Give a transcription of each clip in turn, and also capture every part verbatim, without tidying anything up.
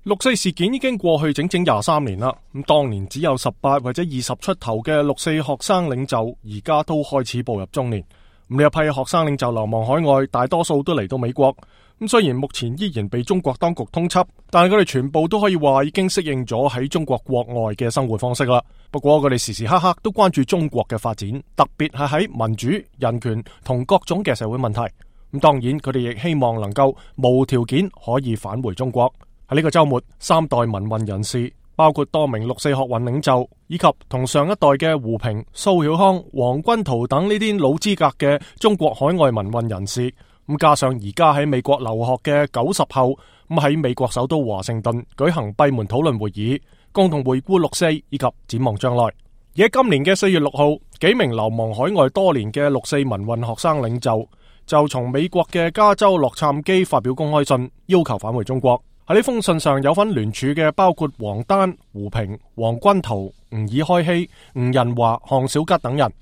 六四事件已經過去整整廿三年啦。咁當年只有十八或者二十出頭嘅六四學生領袖，而家都開始步入中年。咁呢一批學生領袖流亡海外，大多數都嚟到美國。咁雖然目前依然被中國當局通緝，但係佢哋全部都可以話已經適應咗喺中國國外嘅生活方式啦。不過佢哋時時刻刻都關注中國嘅發展，特別係喺民主、人權同各種嘅社會問題。咁當然佢哋亦希望能夠無條件可以返回中國。喺呢個周末，三代民運人士，包括多名六四學運領袖，以及同上一代嘅胡平、蘇曉康、黃軍濤等呢啲老資格嘅中國海外民運人士，咁加上而家喺美國留學嘅九十後，咁喺美國首都華盛頓舉行閉門討論會議，共同回顧六四以及展望將來。而喺今年嘅四月六號，幾名流亡海外多年嘅六四民運學生領袖就從美國嘅加州洛杉磯發表公開信，要求返回中國。喺呢封信上有份聯署嘅包括王丹、胡平、黃軍濤、吾爾開希、吳仁華、項小吉等人。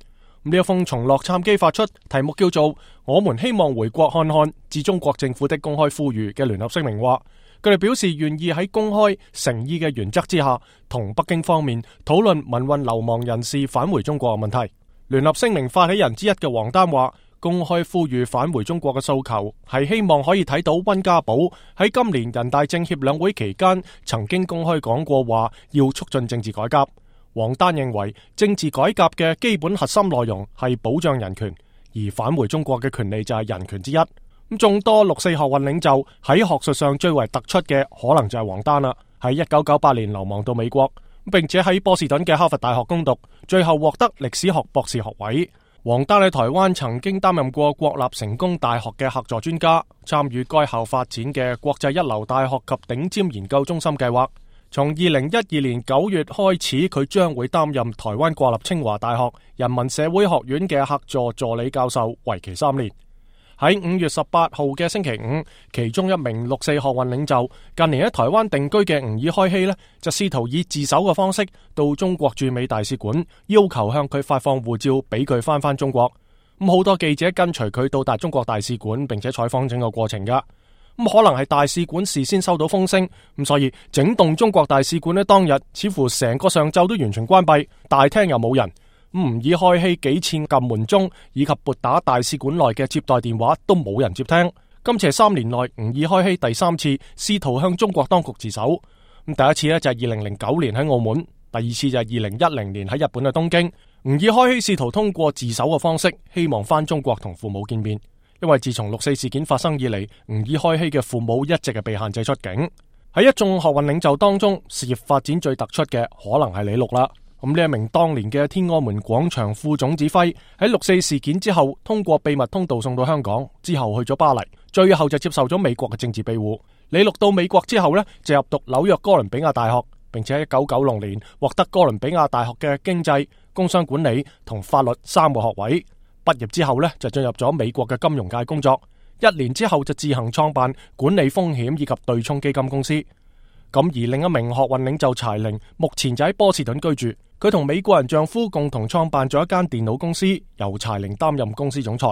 呢一封從洛杉磯發出，題目叫做《我們希望回國看看致中國政府的公開呼籲》嘅聯合聲明話，佢哋表示願意喺公開誠意嘅原則之下，同北京方面討論民運流亡人士返回中國嘅問題。聯合聲明發起人之一嘅王丹話，公開呼籲返回中國嘅訴求係希望可以睇到溫家寶喺今年人大政協兩會期間曾經公開講過話要促進政治改革。王丹認為政治改革嘅基本核心內容係保障人權，而返回中國嘅權利就係人權之一。咁眾多六四學運領袖喺學術上最為突出嘅可能就係王丹啦，喺一九九八年流亡到美國，並且喺波士頓嘅哈佛大學攻讀，最後獲得歷史學博士學位。王丹喺台灣曾經擔任過國立成功大學嘅客座專家，參與該校發展嘅國際一流大學及頂尖研究中心計劃。從二零一二年九月開始，佢將會擔任台灣國立清華大學人文社會學院嘅客座助理教授，為期三年。喺五月十八號嘅星期五，其中一名六四學運領袖近年喺台灣定居嘅吾爾開希呢，就試圖以自首嘅方式到中國駐美大使館，要求向佢發放護照，俾佢翻返中國。咁好多記者跟隨佢到達中國大使館，並且採訪整個過程噶。咁可能係大使館事先收到風聲，咁所以整棟中國大使館呢，當日似乎成個上晝都完全關閉，大廳又冇人。吾爾開希幾次撳門鐘以及撥打大使館內嘅接待電話都冇人接聽。今次係三年內吾爾開希第三次試圖向中國當局自首。咁第一次呢，就係二零零九年喺澳門，第二次就係二零一零年喺日本嘅東京。吾爾開希試圖通過自首嘅方式，希望返中國同父母見面。因為自從六四事件發生以嚟，吾爾開希嘅父母一直係被限制出境。喺一眾學運領袖當中，事業發展最突出嘅可能係李錄啦。咁呢一名當年嘅天安門廣場副總指揮，喺六四事件之後通過秘密通道送到香港，之後去咗巴黎，最後就接受咗美國嘅政治庇護。李錄到美國之後呢，就入讀紐約哥倫比亞大學，並且喺一九九六年獲得哥倫比亞大學嘅經濟、工商管理同法律三個學位。畢業之後呢，就進入咗美國嘅金融界工作，一年之後就自行創辦管理風險以及對沖基金公司。咁而另一名學運領袖柴玲，目前就喺波士頓居住。佢同美國人丈夫共同創辦咗一間電腦公司，由柴玲擔任公司總裁。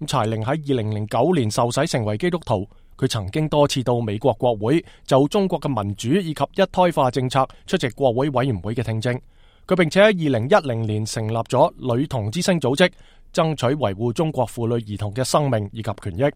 咁柴玲喺二零零九年受洗成為基督徒。佢曾經多次到美國國會就中國嘅民主以及一胎化政策出席國會委員會嘅聽證。佢並且喺二零一零年成立咗女童之聲組織，爭取維護中國婦女兒童嘅生命以及權益。